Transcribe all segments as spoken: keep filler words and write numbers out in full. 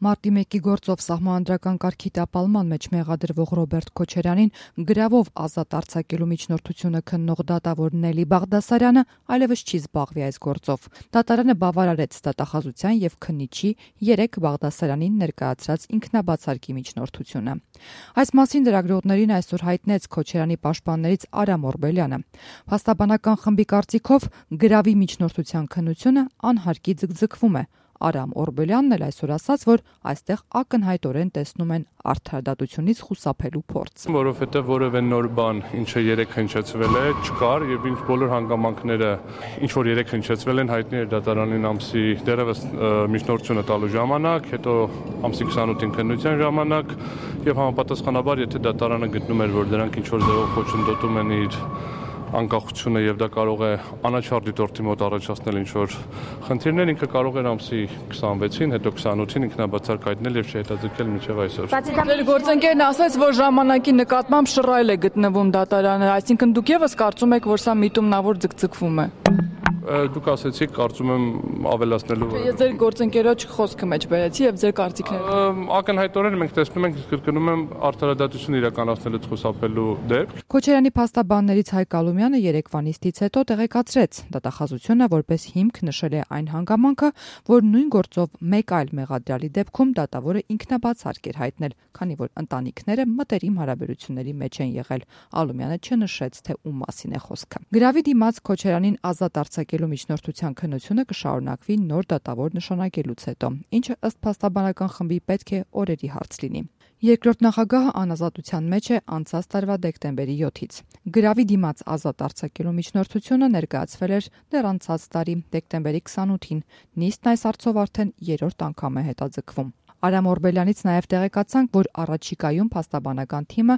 Մարտի մեկի գործով սահմանադրական կարգի տապալման մեջ մեղադրվող Ռոբերտ Քոչարյանին գրավով ազատ արձակելու միջնորդությունը քննող դատավոր Նելի Բաղդասարյանը այլևս չի զբաղվի այս գործով։ Դատարանը բավարարեց դատախազության եւ քննիչի երեք Բաղդասարյանին ներկայացրած ինքնաբացարկի միջնորդությունը։ Այս մասին լրագրողներին այսօր հայտնեց Քոչարյանի պաշտպաններից Արամ Օրբելյանը։ Փաստաբանական խմբի կարծիքով գրավի միջնորդության քննությունը անհարկի ձգձգվում է։ Արամ Օրբելյանն էլ այսօր ասաց, որ այստեղ ակնհայտորեն տեսնում են արդարադատությունից խուսափելու փորձ։ Որովհետև որևէ նոր բան, ինչը երեք հնչեցվել է, չկար եւ ինչ բոլոր հանգամանքները, ինչ որ երեք հնչեցվել են, հայտնի էր դատարանին ամսի դեռևս միջնորդությունը տալու ժամանակ, հետո ամսի քսանութին քննության ժամանակ եւ համապատասխանաբար, եթե դատարանը գտնում էր, որ դրանք ինչ որ ձևով խոչընդոտում են իր անկախությունը եւ դա կարող է անաչառ դիտորդի մոտ առաջացնել ինչ որ խնդիրներ, ինքը կարող էր ամսի քսանվեցին, հետո քսանութին ինքնաբացարկ հայտնել եւ չհետաձգել մինչեւ այսօր։ Ձեր գործընկերն ասաց, որ ժամանակի նկատմամբ շռայլ է գտնվում դատարանը, այսինքն դուք եւս կարծում եք, որ սա միտումնավոր ձգձգվում է։ Դուք ասեցիք, կարծում եմ ավելացնելու։ Ես ձեր գործընկերոջ խոսքը մեջ բերեցի եւ ձեր կարծիքները։ Ակնհայտորեն մենք տեսնում ենք, կրկնում եմ, արդարադատություն իրականացնելուց խուսափելու դեպք։ Քոչարյանի փաստաբաններից Հայկ Ալումյանը երեկվա նիստից հետո տեղեկացրեց, դատախազությունը որպես հիմք նշել է այն հանգամանքը, որ նույն գործով մեկ այլ մեղադրյալի դեպքում դատավորը ինքնաբացարկ էր հայտնել, քանի որ ընտանիքները մտերիմ հարաբերությունների մեջ են եղել։ Ալումյանը չնշեց, թե ում մասին է խոսքը։ Գրավի դիմաց Քոչարյանին ազատ արձակելու միջնորդության քննությունը կշարունակվի նոր դատավոր նշանակելուց հետո, ինչը ըստ փաստաբանական խմբի պետք է օրերի հարց լինի։ Երկրորդ նախագահը անազատության մեջ է անցած տարվա դեկտեմբերի յոթից։ Գրավի դիմաց ազատ արձակելու միջնորդությունը ներկայացվել էր դեռ անցած տարի դեկտեմբերի քսանութին։ Նիստն այս հարցով արդեն երրորդ անգամ է հետաձգվում։ Արամ Օրբելյանից նաև տեղեկացանք, որ առաջիկայում փաստաբանական թիմը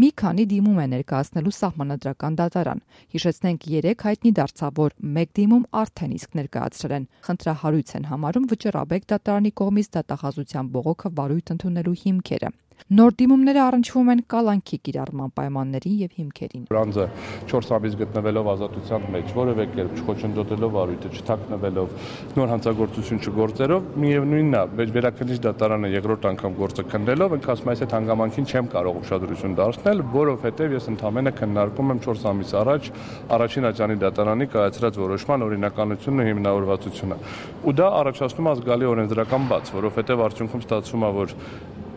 մի քանի դիմում է ներկայացնելու սահմանադրական դատարան։ Հիշեցնենք, երեք հայտնի դարձավ, որ մեկ դիմում արդեն իսկ ներկայացրել են։ Խնդրահարույց են համարում Վճռաբեկ դատարանի կողմից դատախազության բողոքը վարույթ ընդունելու հիմքերը։ Նոր դիմումները առնչվում են կալանքի կիրառման պայմաններին եւ հիմքերին։ Բրանձը չորս ամիս գտնվելով ազատության մեջ, որևէ կերպ չխոչընդոտելով վարույթը, չթաքնվելով, նոր հանցագործություն չգործելով, միևնույնն է, վերաքննիչ դատարանը երկրորդ անգամ գործը քննելով, ինքը ասում է, այս այդ հանգամանքին չեմ կարող ուշադրություն դարձնել, որովհետեւ ես ընդհանրապես քննարկում եմ չորս ամիս առաջ առաջին աջանի դատարանի կայացրած որոշման օրինականությունն ու հիմնավորվածությունը։ Ու դա առաջացնում է զգալի օրենսդրական բաց, որովհետեւ արդյունքում ստացվում է, որ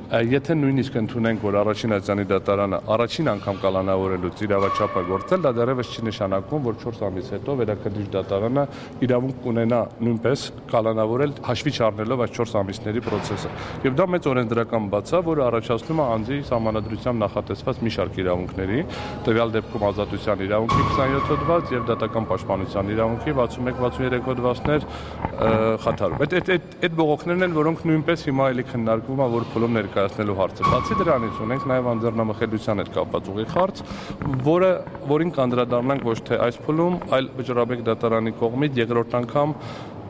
եթե նույնիսկ ընդունենք, որ առաջին աջանի դատարանը առաջին անգամ կալանավորելուց իրավաչափը գործել, դա դեռևս չի նշանակում, որ չորս ամիս հետո վերաքննիչ դատարանը իրավունք կունենա նույնպես կալանավորել հաշվի չառնելով այս չորս ամիսների process-ը։ Եվ դա մեծ օրենսդրական բաց է, որը առաջացնում է անձի սահմանադրությամբ նախատեսված մի շարք իրավունքների, տվյալ դեպքում ազատության իրավունքի քսանյոթ հոդված եւ դատական պաշտպանության իրավունքի վաթսունմեկ վաթսուներեք հոդվածներ խաթարում։ Այդ այդ այդ բողոքներն են, որոնք նույնպես հիմա էլի քննարկվում է, որ փուլում ներկայացնելու հարցը։ Բացի դրանից ունենք նաև անձեռնամխելիության հետ կապված ուղիղ հարց, որը որին կանդրադառնանք ոչ թե այս փուլում, այլ Վճռաբեկ դատարանի կողմից երկրորդ անգամ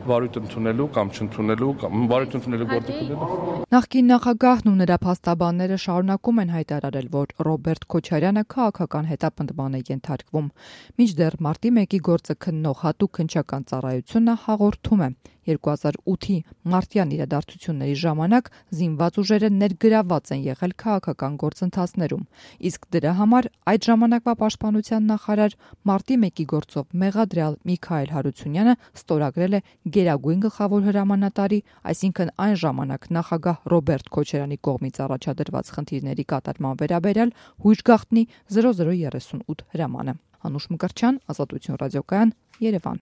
վարույթ ընդունելու կամ չընդունելու կամ վարույթ ընդունելու գործը կդնելու։ Նախկին նախագահն ու նրա փաստաբանները շարունակում են հայտարարել, որ Ռոբերտ Քոչարյանը քաղաքական հետապնդման է ենթարկվում։ Մինչդեռ մարտի մեկի գործը քննող հատուկ քննչական ծառայությունը հաղորդում է. երկու հազար ութի մարտյան իրադարձությունների ժամանակ զինված ուժերը ներգրավված են եղել քաղաքական գործընթացներում, իսկ դրա համար այդ ժամանակվա պաշտպանության նախարար մարտի մեկի գործով մեղադրյալ Միքայել Հարությունյանը ստորագրել է գերագույն գլխավոր հրամանատարի, այսինքն այն ժամանակ նախագահ Ռոբերտ Քոչարյանի կողմից առաջադրված խնդիրների կատարման վերաբերյալ հույժ գաղտնի զրո զրո երեսունութ հրամանը։ Անուշ Մկրտչյան, Ազատություն ռադիոկայան, Երևան։